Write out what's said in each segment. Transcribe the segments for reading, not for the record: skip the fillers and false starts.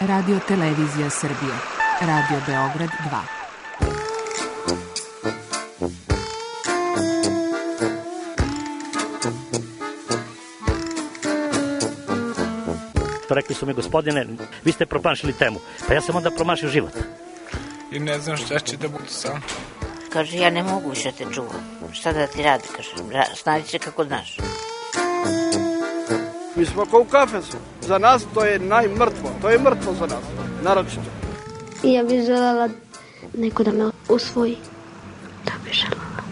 Radio Televizija Srbije. Radio Beograd 2. Rekli su mi, gospodine, vi ste promašili temu. Pa ja sam onda promašio život. I ne znam šta će da bude sam. Kaže, ja ne mogu više te čuvam. Šta da ti radi, kaže, snađi se kako znaš. Mi smo kao u kafesu. Za nas to je najmrtvo. To je mrtvo za nas, naročito. Ja bih želela neko da me usvoji. Da bih želela.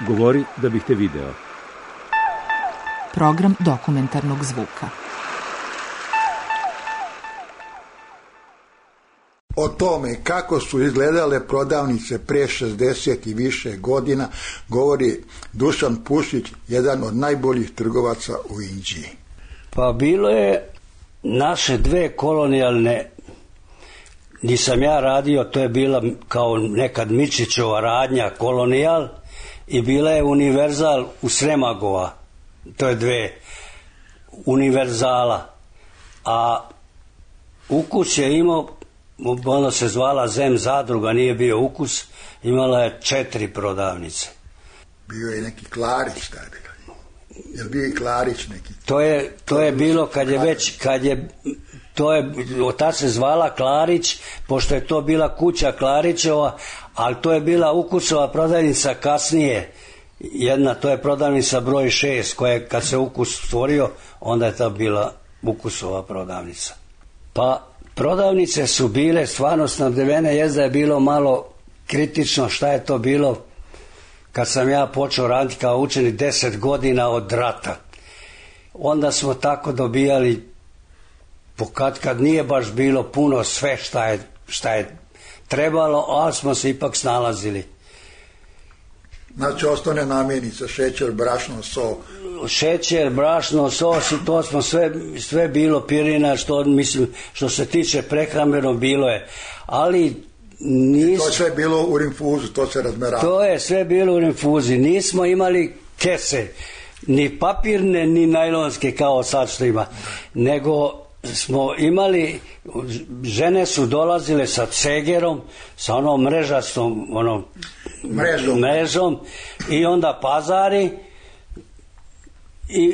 Govori da bih te video. Program dokumentarnog zvuka. O tome kako su izgledale prodavnice pre 60 i više godina govori Dušan Pušić, jedan od najboljih trgovaca u Inđiji. Pa bilo je naše dve kolonijalne, nisam ja radio, to je bila kao nekad Mičićova radnja kolonijal i bila je Univerzal u Sremagova, to je dve univerzala, a Ukus je imao, ono se zvala Zem zadruga, nije bio Ukus, imala je 4 prodavnice. Bio je neki Klarić tada. Je li bio i Klarić neki? To je bilo ta se zvala Klarić, pošto je to bila kuća Klarićeva, ali to je bila Ukusova prodavnica kasnije. Jedna, to je prodavnica broj 6, koja je, kad se Ukus stvorio, onda je ta bila Ukusova prodavnica. Pa prodavnice su bile stvarno snabdevene, jezda je bilo malo kritično šta je to bilo kad sam ja počeo raditi kao učenik 10 godina od rata. Onda smo tako dobijali, kad nije baš bilo puno sve šta je trebalo, ali smo se ipak snalazili. Znači osnovne namirnice, šećer, brašno, so. Šećer, brašno, sos i to smo sve bilo, pirina, što se tiče prehrambenog bilo je. Ali to je sve bilo u rinfuzu, to se razmerava. To je sve bilo u rinfuzi. Nismo imali kese, ni papirne, ni najlonske kao sad što ima. Nego smo imali, žene su dolazile sa cegerom, sa onom mrežastom mrežom i onda pazari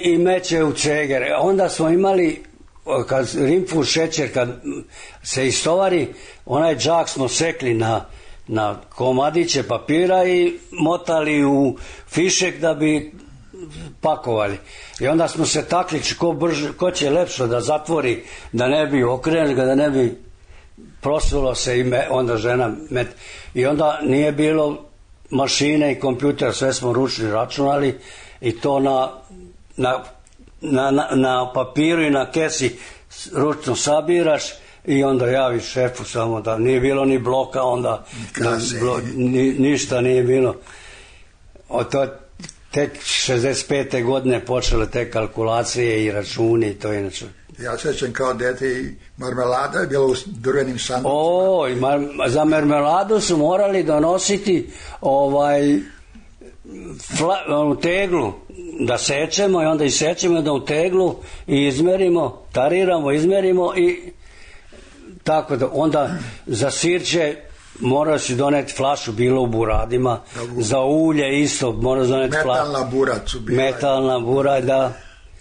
i meće u cegere. Onda smo imali, kad rinfuz šećer, kad se istovari, onaj džak smo sekli na komadiće papira i motali u fišek da bi pakovali. I onda smo se takli ko će lepše da zatvori, da ne bi okrenuli ga, da ne bi prosulo se i onda žena i onda nije bilo mašine i kompjuter, sve smo ručno računali i to na papiru i na kesi ručno sabiraš i onda javiš šefu samo da nije bilo ni bloka, onda ništa nije bilo. Tek 65. godine počele te kalkulacije i računi i to inače. Ja sećam kao dete i marmelada je bila u drvenim sanducima. Za marmeladu su morali donositi u teglu da sečemo i onda isečemo da u teglu i izmerimo, tariramo, izmerimo i tako da onda za sirće mora si doneti flašu, bilo u buradima, za ulje isto mora doneti flašu. Metalna burad su bila. Metalna burad, da.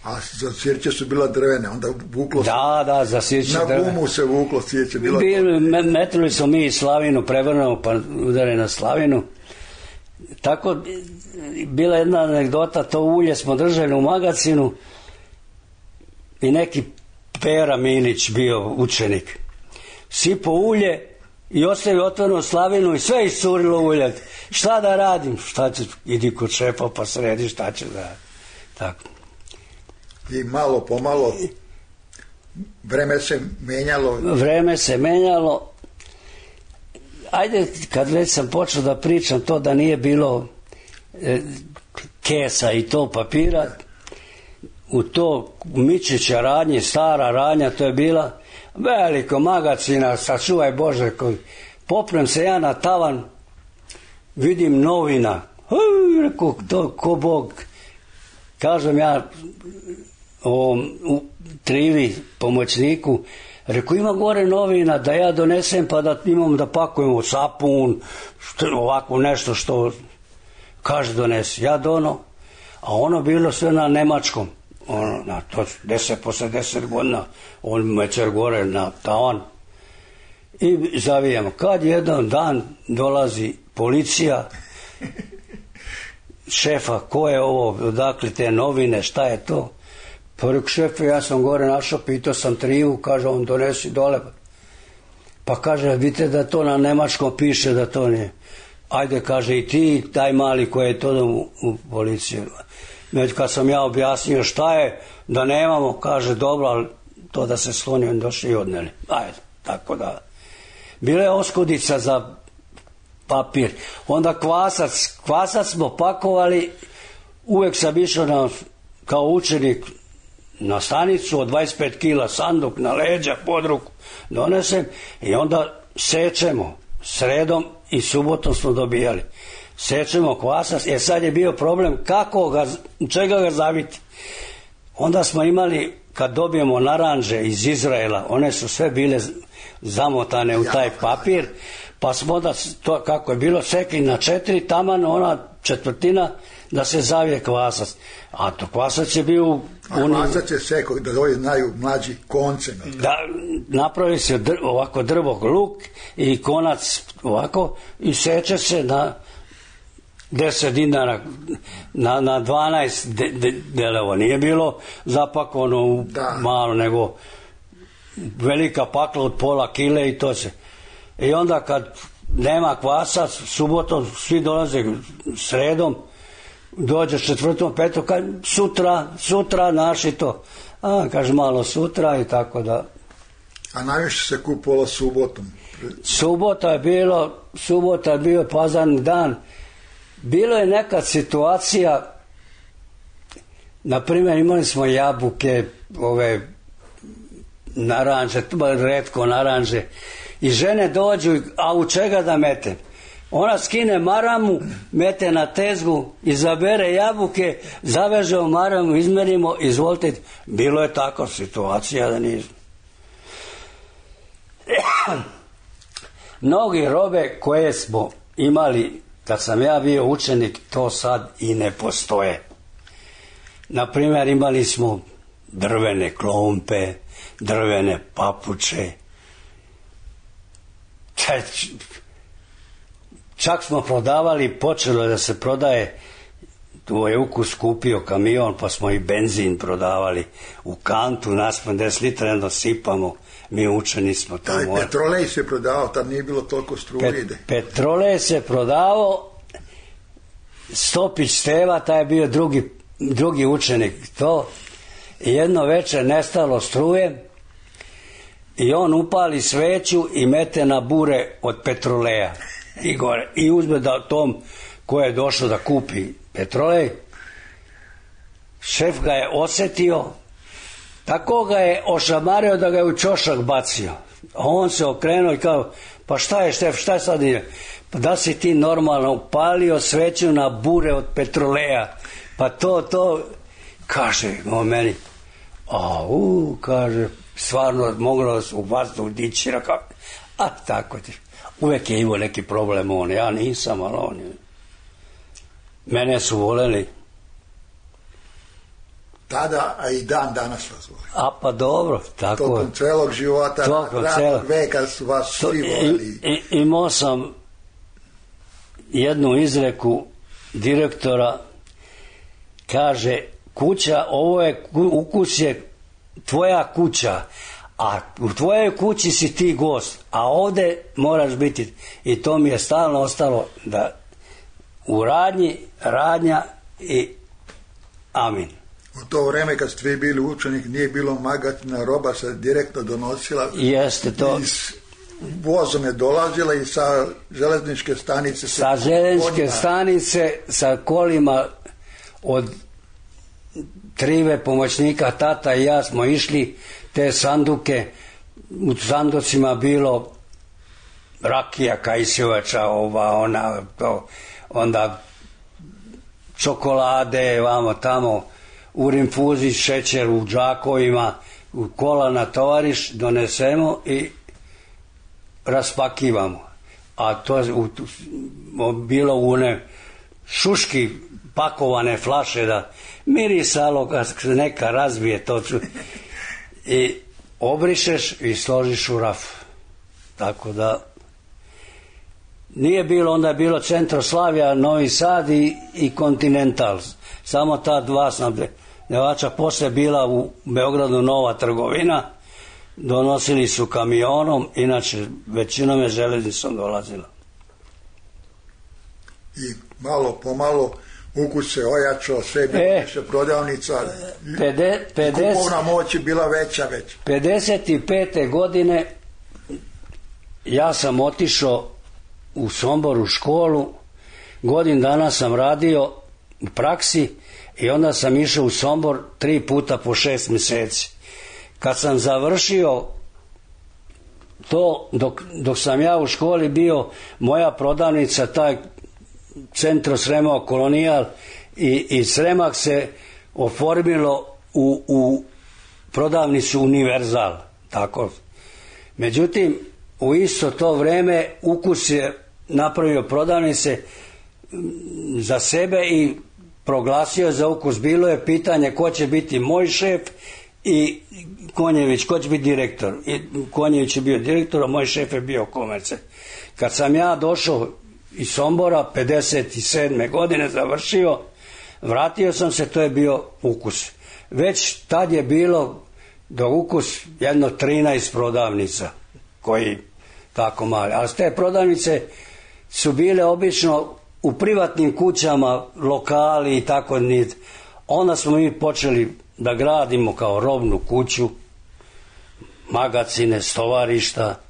A za sirće su bila drvene, onda vuklo se. Da, za sirće drvene. Na gumu se vuklo sirće. Metili smo mi slavinu, prevrnemo pa udare na slavinu. Tako, bila jedna anegdota, to ulje smo držali u magazinu i neki Pera Milić bio učenik. Sipo ulje i ostavio otvorenu slavinu i sve iscurilo ulje. Šta da radim? Idi kod šefa pa sredi šta će da radim. Tako. I malo pomalo vreme se menjalo. Ajde, kad već sam počeo da pričam to da nije bilo kesa i to papira, u to Mičića radnje, stara radnja, to je bila veliko magacina, sačuvaj Bože, poprem se ja na tavan, vidim novina, rekao, to ko Bog, kažem ja, u Trivi pomoćniku, rekao ima gore novina da ja donesem pa da imam da pakujemo sapun, ovako nešto što kaže donesi. Ja dono, a ono bilo sve na nemačkom. Na to posle 10 godina on mećer gore na tavan i zavijamo. Kad jedan dan dolazi policija, šefa, ko je ovo, odakle te novine, šta je to? Pa rekao, šefe, ja sam gore našao, pitao sam Trivu, kaže, on donesi dole. Pa kaže, vidite da to na nemačkom piše da to nije. Ajde, kaže, i ti, taj mali koji je to u policiju. Kad sam ja objasnio šta je, da nemamo, kaže, dobro, ali to da se sloni, on došli i odneli. Ajde, tako da. Bila je oskudica za papir. Onda kvasac smo pakovali, uvek sam išao kao učenik na stanicu od 25 kila sanduk na leđa, pod ruku donesem i onda sečemo sredom i subotom smo dobijali. Sečemo kvasac, sad je bio problem čega ga zaviti. Onda smo imali, kad dobijemo naranđe iz Izraela, one su sve bile zamotane u taj papir, pa smo onda, to kako je bilo, sekli na 4, taman ona četvrtina da se zavije kvasac. A to kvasac je bio... Kvasac je sekao, da ovi znaju mlađi, konce. Da, napravi se ovako drvog luk i konac ovako i seče se na 10 dinara, na 12 delova. Nije bilo zapakovano u malo, nego velika pakla od pola kile i to se. I onda kad nema kvasa, subotom svi dolaze sredom, dođe četvrtom, petom, kaže sutra naši to. Kaže malo sutra i tako da. A najviše se kupovalo subotom? Subota je bio pazarni dan. Bilo je neka situacija, na primjer imali smo jabuke, ove naranđe, retko naranđe, i žene dođu, a u čega da mete? Ona skine maramu, mete na tezgu, izabere jabuke, zaveže u maramu, izmerimo, izvolite. Bilo je takva situacija da nismo. Mnogi robe koje smo imali kad sam ja bio učenik, to sad i ne postoje. Na primjer, imali smo drvene klompe, drvene papuče. Čak smo prodavali, počelo je da se prodaje, tu je Ukus kupio kamion, pa smo i benzin prodavali u kantu, naspram 10 litra, jedno sipamo, mi učeni smo tamo. Petrolej se prodavao, tad nije bilo toliko struje. Petrolej se prodavao, Stopić Steva, taj je bio drugi učenik, to, i jedno večer nestalo struje i on upali sveću i mete na bure od petroleja i gore, i uzme da tom ko je došao da kupi petrolej, šef ga je osetio, tako ga je ošamario da ga je u čošak bacio. A on se okrenuo i kao, pa šta je šef, šta je sad nije? Pa da si ti normalno upalio sveću na bure od petroleja? Pa to, kaže on meni, kaže, stvarno moglo u vazduh dići, a tako ti. Uvek je imao neki problem on, ja nisam, ali on je. Mene su voleli. Tada, a i dan danas vas voli. A pa dobro, tako je. Tokom celog života, radnog veka su vas svi voleli. Imao sam jednu izreku direktora, kaže, kuća, Ukus je tvoja kuća, a u tvojoj kući si ti gost, a ovde moraš biti, i to mi je stalno ostalo, da u radnja i amin. U to vreme kad ste vi bili učenik nije bilo magatina, roba se direktno donosila. Jeste to. Vozom je dolazila i sa železničke stanice. Sa železničke stanice, sa kolima od Trive, pomoćnika, tata i ja smo išli te sanduke. U sanducima bilo rakija, kajsjovača, onda čokolade, vamo tamo, u rinfuzi, šećer u džakovima, u kola na tovariš, donesemo i raspakivamo. A to je bilo u one šuški pakovane flaše da mirisalo kad se neka razbije to i obrišeš i složiš u raf. Tako da nije bilo, onda je bilo Centroslavija, Novi Sad i Continental. Samo ta dva snabdevača. Poslije bila u Beogradu nova trgovina, donosili su kamionom, inače većinom je železnicom dolazila. I malo po malo ukus se ojačao, sve bilo više prodavnica, kupovna moć je bila veća. 55. godine ja sam otišao u Sombor u školu, godinu dana sam radio u praksi i onda sam išao u Sombor 3 puta po 6 mjeseci. Kad sam završio to, dok sam ja u školi bio, moja prodavnica, taj Centro Sremao Kolonijal i Sremak se oformilo u prodavnicu Univerzal. Tako. Međutim, u isto to vrijeme Ukus je napravio prodavnice za sebe i proglasio za Ukus. Bilo je pitanje ko će biti moj šef i Konjević, ko će biti direktor. I Konjević je bio direktor, a moj šef je bio komerce. Kad sam ja došao iz Sombora, 57. godine završio, vratio sam se, to je bio Ukus. Već tad je bilo do Ukus jedno 13 prodavnica koji tako mali. Ali te prodavnice su bile obično u privatnim kućama, lokali i tako nit. Onda smo mi počeli da gradimo kao robnu kuću, magacine, stovarišta,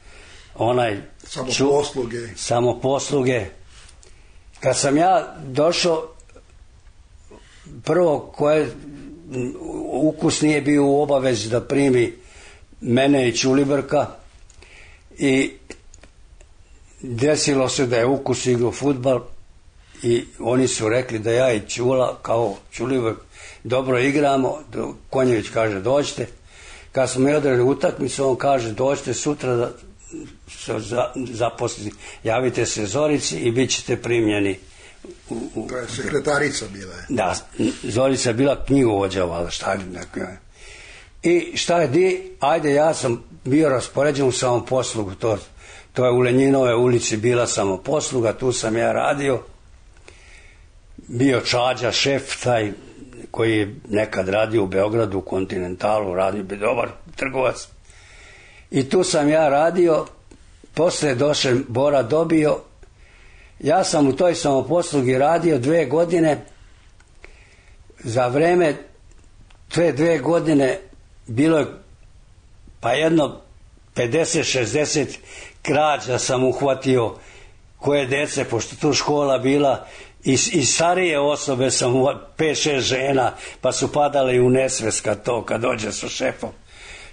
samoposluge. Kad sam ja došao, prvo Ukus nije bio u obavezi da primi mene i Ćulibrka i desilo se da je Ukus igrao fudbal i oni su rekli da ja i Ćula kao Ćulibrk dobro igramo. Konjević kaže dođite. Kad smo mi odrali utakmicu, on kaže dođite sutra da zaposliti, javite se Zorici i bit ćete primljeni. To je sekretarica bila. Da, Zorica je bila knjigovođa, valjda, šta je neko. I šta je di, ajde, ja sam bio raspoređen u samoposlugu, to je u Lenjinove ulici bila samoposluga, tu sam ja radio. Bio Čađa, šef, taj koji je nekad radio u Beogradu, u Kontinentalu, radio bi dobar trgovac. I tu sam ja radio, poslije došao Bora dobio. Ja sam u toj samoposlugi radio 2 godine. Za vreme te 2 godine bilo je pa jedno 50-60 krađa sam uhvatio koje dece, pošto tu škola bila i starije osobe sam 5-6 žena, pa su padale i u nesvest kad dođe sa šefom.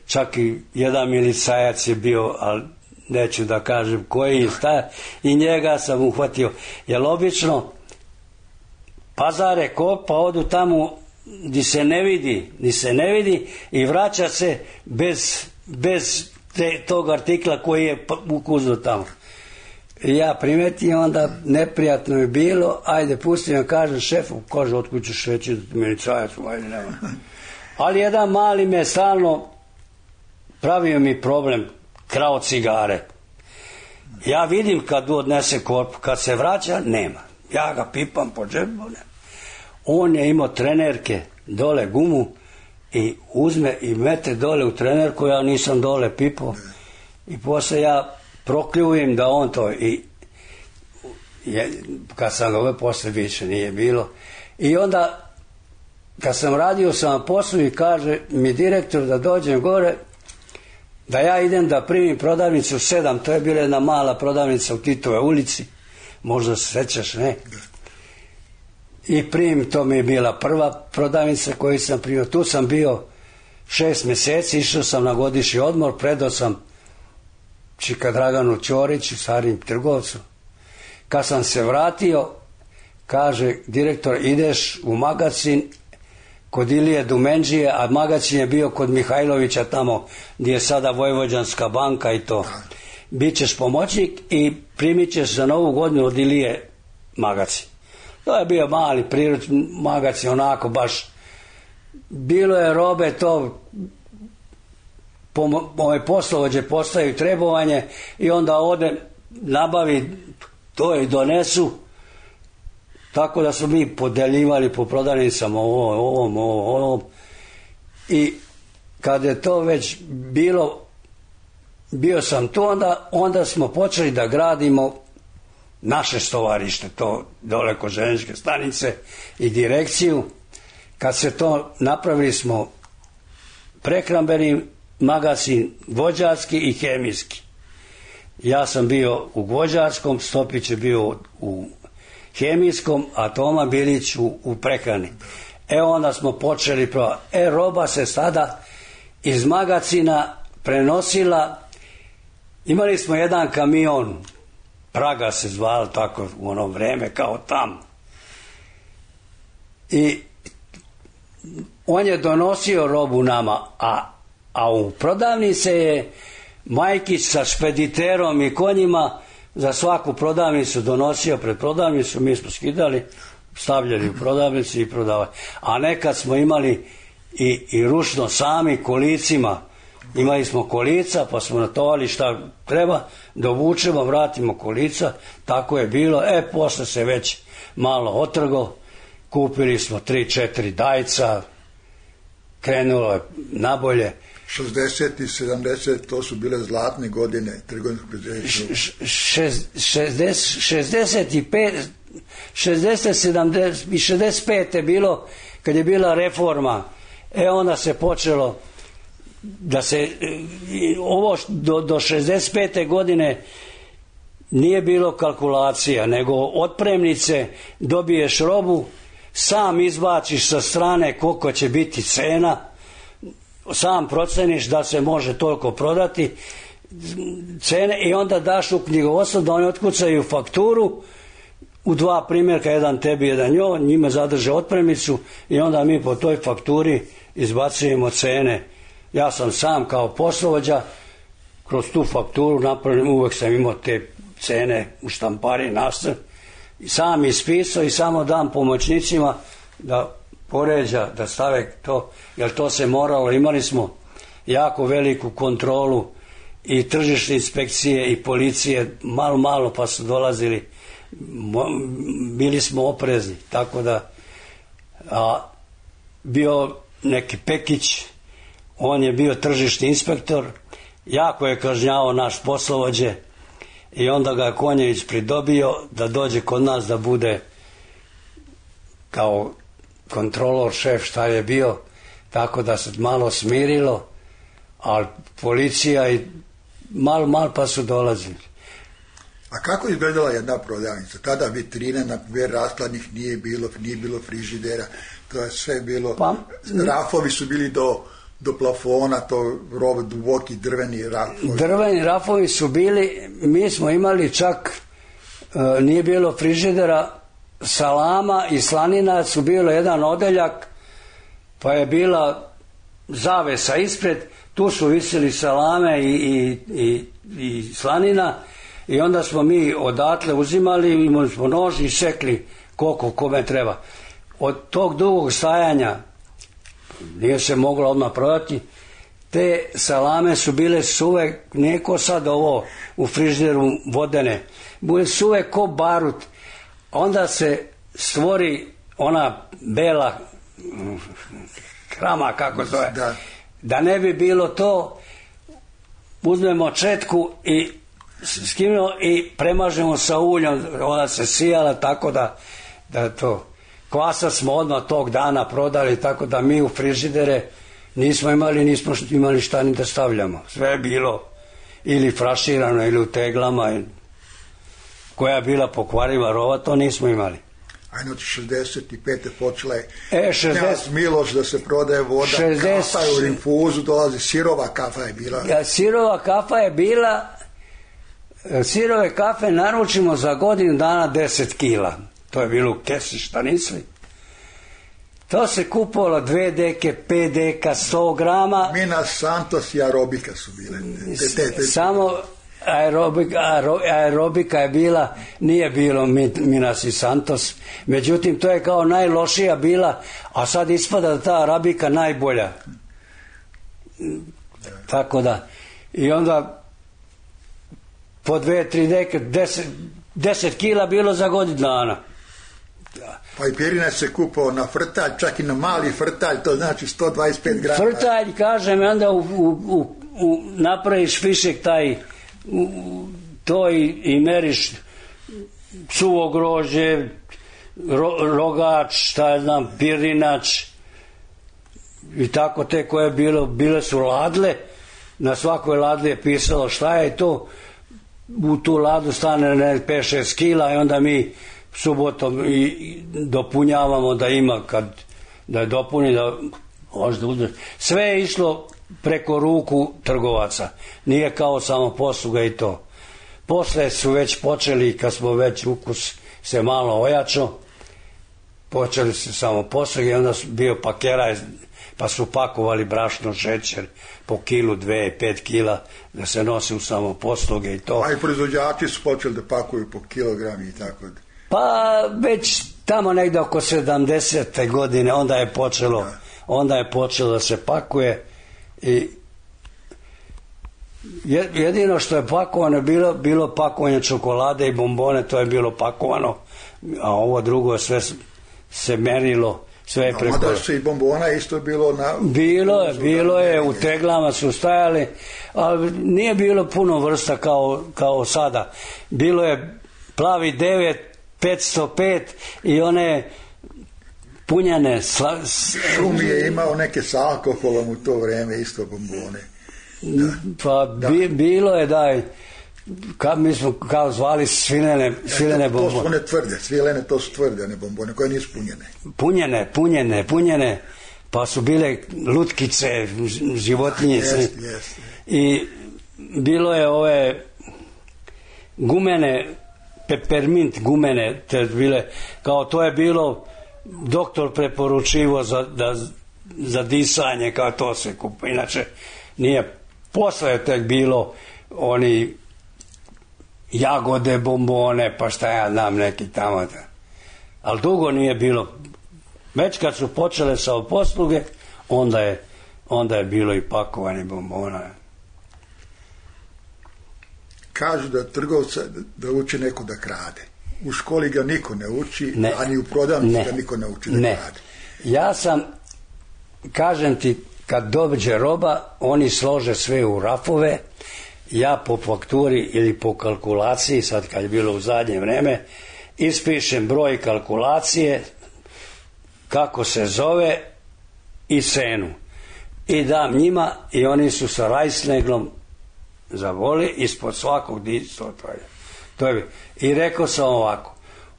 Čak i jedan milicajac je bio, ali neću da kažem koji, i njega sam uhvatio. Jer obično pazare pa odu tamo gdje se ne vidi i vraća se bez tog artikla koji je ukuzno tamo. I ja primetim, onda neprijatno je bilo, ajde pustim, ja kažem šefu, kaže otkud ćeš reći da ti milicajac, ajde nema. Ali jedan mali me stalno pravio mi problem, krao cigare. Ja vidim kad odnese korpu, kad se vraća, nema. Ja ga pipam po džepu, nema. On je imao trenerke, dole gumu i uzme i mete dole u trenerku, ja nisam dole pipao. I poslije ja prokljujem da on to i kad sam ove poslije više nije bilo. I onda kad sam radio sam poslu i kaže mi direktor da dođem gore, da ja idem da primim prodavnicu 7, to je bila jedna mala prodavnica u Titove ulici, možda se sjećaš, ne? I primim, to mi je bila prva prodavnica koju sam primio. Tu sam bio 6 mjeseci, išao sam na godišnji odmor, predao sam Čika Draganu Ćoriću, starim trgovcu. Kad sam se vratio, kaže direktor, ideš u magazin kod Ilije Dumenđije, a magacin je bio kod Mihajlovića tamo gdje je sada Vojvođanska banka i to. Bićeš pomoćnik i primit ćeš za Novu godinu od Ilije magacin. To je bio mali priručni magacin, onako baš. Bilo je robe, to poslovođe postaju trebovanje i onda ode nabavi to i donesu, tako da smo mi podeljivali po prodavnicama ovom i kad je to već bio sam tu, onda smo počeli da gradimo naše stovarište, to dole kod željezničke stanice i direkciju. Kad se to napravili smo prehrambeni magazin, gvođarski i hemijski. Ja sam bio u gvođarskom, Stopić je bio u hemijskom, a Toma Bilić u prehrani. Onda smo počeli roba se sada iz magazina prenosila. Imali smo jedan kamion, Praga se zvalo tako u ono vreme, kao tam. I on je donosio robu nama, a u prodavnici je Majkić sa špediterom i konjima za svaku prodavnicu donosio pred prodavnicu, mi smo skidali, stavljali u prodavnicu i prodavali. A nekad smo imali i ručno sami kolicima, imali smo kolica pa smo natovali šta treba, dovučemo, vratimo kolica, tako je bilo. Posle se već malo otrgo, kupili smo 3-4 dajca, krenulo je nabolje. 60 i 70, to su bile zlatne godine trgovinskog preduzeća. 65, 60, 70 i 65 je bilo kad je bila reforma. Onda se počelo da se ovo do 65. godine nije bilo kalkulacija, nego otpremnice, dobiješ robu, sam izbaciš sa strane koliko će biti cena, sam proceniš da se može toliko prodati cene i onda daš u knjigovodstvo da oni otkucaju fakturu u 2 primjerka, jedan tebi, jedan njima zadrže otpremnicu i onda mi po toj fakturi izbacujemo cene. Ja sam sam kao poslovođa kroz tu fakturu napravim, uvek sam imao te cene u štampari nastav, sam ispisao i samo dam pomoćnicima da poređa, da stave to, jer to se moralo. Imali smo jako veliku kontrolu i tržišne inspekcije i policije, malo pa su dolazili, bili smo oprezni, tako da bio neki Pekić, on je bio tržišni inspektor, jako je kažnjavao naš poslovođe i onda ga je Konjević pridobio da dođe kod nas da bude kao kontrolor, šef, šta je bio, tako da se malo smirilo, ali policija i malo pa su dolazili. A kako izgledala jedna prodavnica? Tada vitrine, na primjer, raskladnih nije bilo frižidera, to je sve bilo, rafovi su bili do plafona, to robe, duboki drveni rafovi. Drveni rafovi su bili, mi smo imali čak, nije bilo frižidera, salama i slanina su bilo jedan odeljak, pa je bila zavesa ispred, tu su visili salame i slanina i onda smo mi odatle uzimali, imali smo nož i sekli koliko kome treba. Od tog dugog stajanja nije se moglo odmah prodati, te salame su bile suve, neko sad ovo u frižideru vodene, bile suve ko barut, onda se stvori ona bela krama, kako to je, da ne bi bilo to, uzmemo četku i skimimo i premažemo sa uljom, ona se sijala, tako da to kvasa smo odmah tog dana prodali, tako da mi u frižidere nismo imali šta ni da stavljamo, sve je bilo ili fraširano ili u teglama, koja je bila pokvariva rova, to nismo imali. Ajde, od 65. počela je Knjaz Miloš da se prodaje voda, kafa je u rinfuzu, dolazi, sirova kafa je bila. Sirova kafa je bila, sirove kafe naručimo za godinu dana 10 kila, to je bilo u kesi štanicli. To se kupovalo 2 deke, 5 deka, 100 grama. Minas Santos i aerobika su bile. Samo aerobika je bila, nije bilo Minas i Santos. Međutim, to je kao najlošija bila, a sad ispada da ta arabika najbolja. Tako da, i onda po 2-3 deke, 10 kila bilo za godinu dana. Pa i pirinac se kupao na frtalj, čak i na mali frtalj, to znači 125 grama. Frtalj, kažem, onda napraviš fišek taj, to i meriš suvo grožđe, rogač, šta je znam, pirinač i tako te koje je bilo, bile su ladle, na svakoj ladli je pisalo šta je to, u tu ladu stane 5-6 kila i onda mi subotom i dopunjavamo da ima da je dopuni da možda uzmeš. Sve je išlo preko ruku trgovaca, nije kao samo posluga i to. Posle su već počeli, kad smo već ukus se malo ojačao, počeli su samo posluge i onda bio pakeraj, pa su pakovali brašno, šećer po kilu, 2, 5 kila da se nosi u samo posluge i to. A i proizvođači su počeli da pakuju po kilogrami i tako da. Pa već tamo negde oko 70. godine onda je počelo da se pakuje i jedino što je pakovano bilo pakovanje čokolade i bombone, to je bilo pakovano, a ovo drugo sve se merilo, sve je preko. Mada se i bombona isto bilo na... Bilo je, u teglama su stajali, ali nije bilo puno vrsta kao sada. Bilo je plavi 9, 505 i one punjane. Šumi je imao neke s alkoholom u to vreme, isto bombone. Bilo je mi smo kao zvali svilene bombone. To su one tvrde, svilene to su tvrde, ne bombone koje nisu punjene. Punjene, pa su bile lutkice, životinje. I bilo je ove gumene, peppermint gumene, te bile, kao to je bilo, doktor preporučivo za disanje, kao to se kupa. Inače, nije, posle je tek bilo oni jagode, bombone, pa šta ja znam, neki tamo. Ali dugo nije bilo. Već kad su počele sa posluge, onda je bilo i pakovanje bombona. Kažu da trgovca da uči neko da krade. U školi ga niko ne uči, ani u prodavnici ga niko ne uči da krade. Ja sam, kažem ti, kad dođe roba, oni slože sve u rafove, ja po fakturi ili po kalkulaciji, sad kad je bilo u zadnje vreme, ispišem broj kalkulacije, kako se zove i cenu. I dam njima i oni su sa rajsneglom zavoli ispod svakog disto. I rekao sam ovako,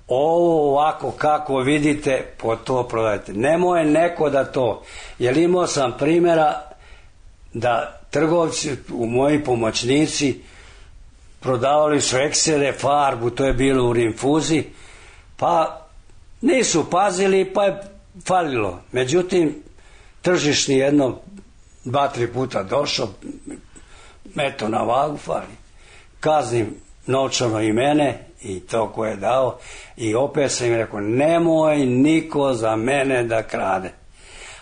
ovo ovako kako vidite, po to prodajte. Nemoj neko da to, jer imao sam primjera da trgovci, moji pomoćnici, prodavali su eksere, farbu, to je bilo u rinfuzi, pa nisu pazili, pa je falilo. Međutim, tržišni jedno 2-3 puta došao, eto na vagu fali. Kaznim novčano i mene i to ko je dao i opet sam im rekao, nemoj niko za mene da krade.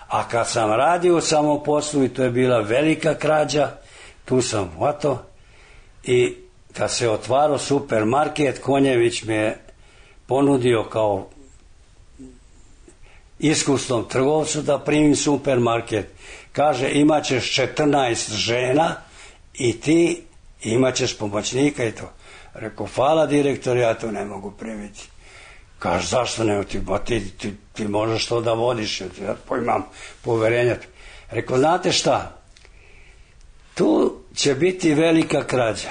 A kad sam radio u samoposlu i to je bila velika krađa, tu sam hvatao i kad se otvarao supermarket, Konjević me je ponudio kao iskusnom trgovcu da primim supermarket. Kaže, imat ćeš 14 žena i ti imat ćeš pomoćnika i to. Rekao, hvala direktor, ja to ne mogu primiti. Kaže, zašto ne? Ti možeš to da vodiš, ja imam poverenja. Rekao, znate šta, tu će biti velika krađa,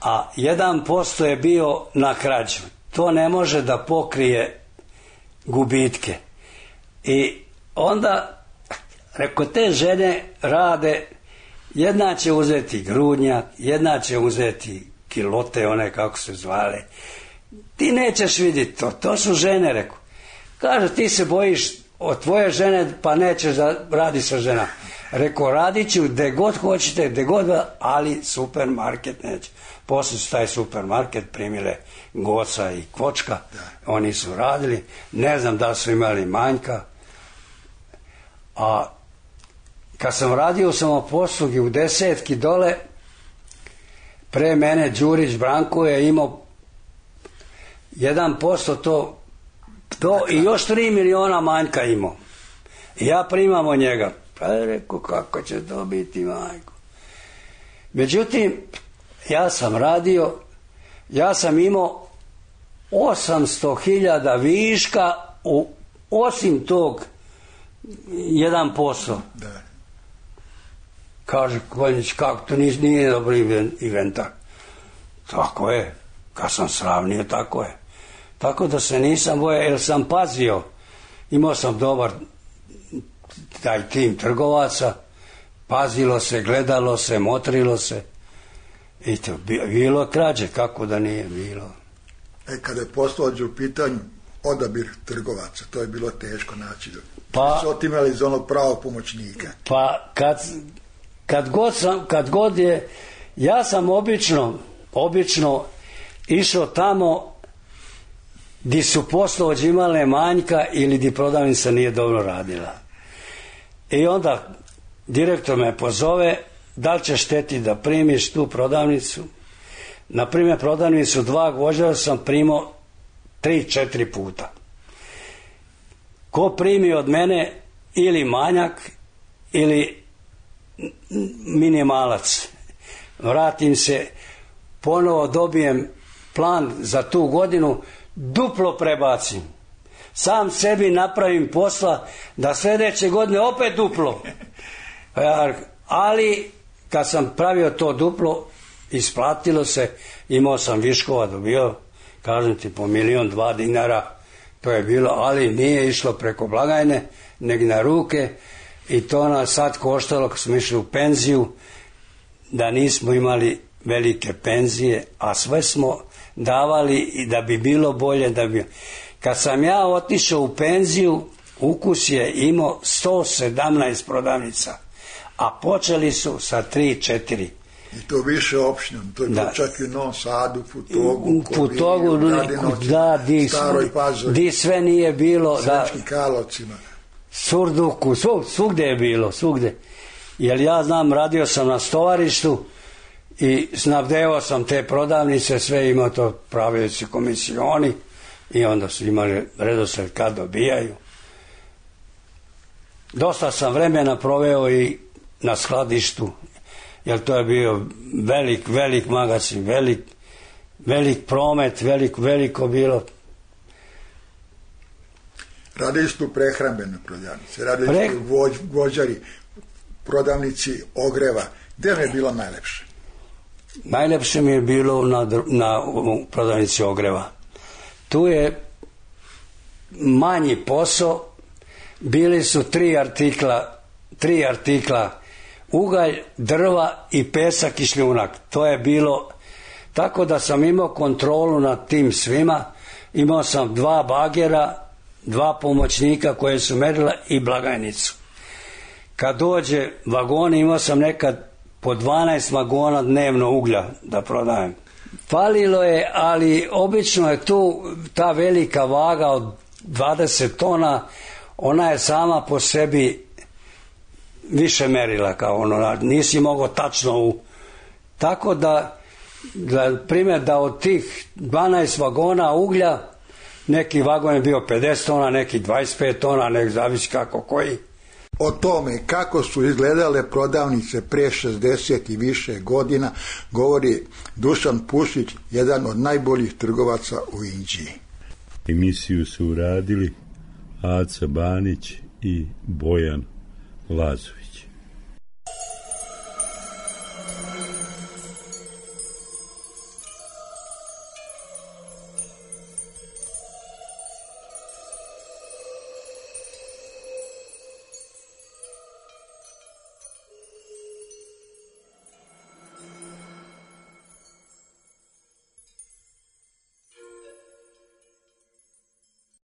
a 1% je bio na krađu. To ne može da pokrije gubitke. I onda, rekao, te žene rade, jedna će uzeti grudnjak, jedna će uzeti kilote, one kako se zvale. Ti nećeš vidjeti to su žene, rekao. Kaže, ti se bojiš od tvoje žene pa nećeš da radi sa žena. Rekao, radit ću gde god hoćete, gde god, ali supermarket neće. Poslije su taj supermarket primile Goca i Kvočka, oni su radili, ne znam da su imali manjka, a kad sam radio u samoposlugi u Desetki dole, pre mene Đurić Branko je imao 1% to i još 3 miliona manjka imao. I ja primam od njega. Pa je rekao, kako će to biti, majko? Međutim, ja sam radio, ja sam imao 800.000 viška osim tog 1%. Da. Kaže Konjić, kako to nije dobri inventar. Tako je, kad sam sravnio, tako je. Tako da se nisam bojao, jer sam pazio, imao sam dobar taj tim trgovaca, pazilo se, gledalo se, motrilo se i to bilo krađe, kako da nije bilo. Kada je poslođe u pitanju odabir trgovaca, to je bilo teško naći. Pa su otimali iz onog pravog pomoćnika. Pa kad god je, ja sam obično išao tamo di su poslovođe imale manjka ili di prodavnica nije dobro radila. I onda direktor me pozove, da li ćeš hteti da primiš tu prodavnicu? Na primjer, prodavnicu 2 gvožđara sam primao 3-4 puta. Ko primi od mene ili manjak ili minimalac, vratim se, ponovo dobijem plan za tu godinu, duplo prebacim. Sam sebi napravim posla da sljedeće godine opet duplo. Ali kad sam pravio to duplo, isplatilo se, imao sam viškova, dobio, kažem ti, po 1-2 dinara, to je bilo, ali nije išlo preko blagajne, nego na ruke, i to nas sad koštalo, kad smo išli u penziju, da nismo imali velike penzije, a sve smo davali i da bi bilo bolje, da bi... Kad sam ja otišao u penziju, Ukus je imao 117 prodavnica, a počeli su sa 3-4. I to više opštine, to je bilo čak i u Novom Sadu, Futogu, Staroj Pazovi, di sve nije bilo, Sremskim Karlovcima, Surduku, svugde je bilo, svugde. Jer ja znam, radio sam na stovarištu i snabdevao sam te prodavnice, sve imao to pravioci komisioni i onda su imali redosled kad dobijaju. Dosta sam vremena proveo i na skladištu, jer to je bio velik magazin, velik promet, veliko bilo. Radili su prehrambene prodavnice, radili su gvožđari, prodavnici ogreva. Gde mi je bilo najlepše? Najlepše mi je bilo na prodavnici ogreva. Tu je manji posao, bili su 3 artikla, ugalj, drva i pesak i šljunak. To je bilo, tako da sam imao kontrolu nad tim svima. Imao sam 2 bagera, 2 pomoćnika koje su merila i blagajnicu. Kad dođe vagoni, imao sam nekad po 12 vagona dnevno uglja da prodajem. Falilo je, ali obično je tu ta velika vaga od 20 tona, ona je sama po sebi više merila kao ono, nisi mogao tačno tako da primjer da od tih 12 vagona uglja, neki vagon je bio 50 tona, neki 25 tona, nek zavisi kako koji. O tome kako su izgledale prodavnice pre 60 i više godina govori Dušan Pušić, jedan od najboljih trgovaca u Inđiji. Emisiju su uradili Aca Banić i Bojan Lazović.